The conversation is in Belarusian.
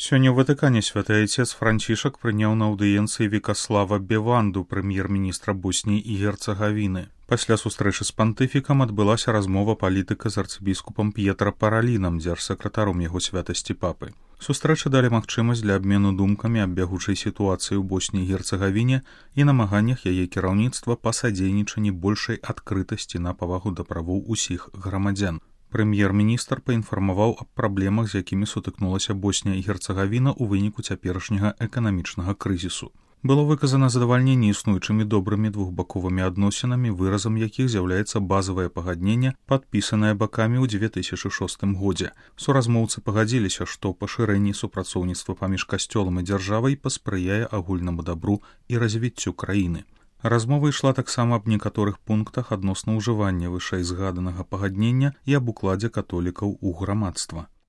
Сёння ў Ватыкане святы айцец Францішак прыняў на аўдыенцыі Вікаслава Беванду, прэм'ер-міністра Босніі і Герцагавіны. Пасля сустрэчы з пантыфікам адбылася размова палітыка з арцыбіскупам П'етра Паралінам, дзяржсакратаром яго святасці папы. Сустрэчы далі магчымасць для абмену думкамі аб бягучай сітуацыі ў Босніі і Герцагавіне і намаганнях яе кіраўніцтва па садзейнічанні большай адкрытасці на павагу да правоў усіх грамадзян. Прэм'ер-міністр паінфармаваў аб праблемах, з якімі сутыкнулася Боснія і Герцагавіна ў выніку цяперашняга эканамічнага крызісу. Было выказана задавальненне існуючымі добрымі двухбаковымі адносінамі, выразам якіх з'яўляецца базавае пагадненне, падпісанае бакамі ў 2006 годзе. Суразмоўцы пагадзіліся, што пашырэнне супрацоўніцтва паміж касцёлам і дзяржавай паспрыяе агульнаму дабру і развіццю краіны. Размова ішла таксама аб некаторых пунктах адносна ўжывання вышэйзгаданага пагаднення і аб укладзе католікаў у грамадства.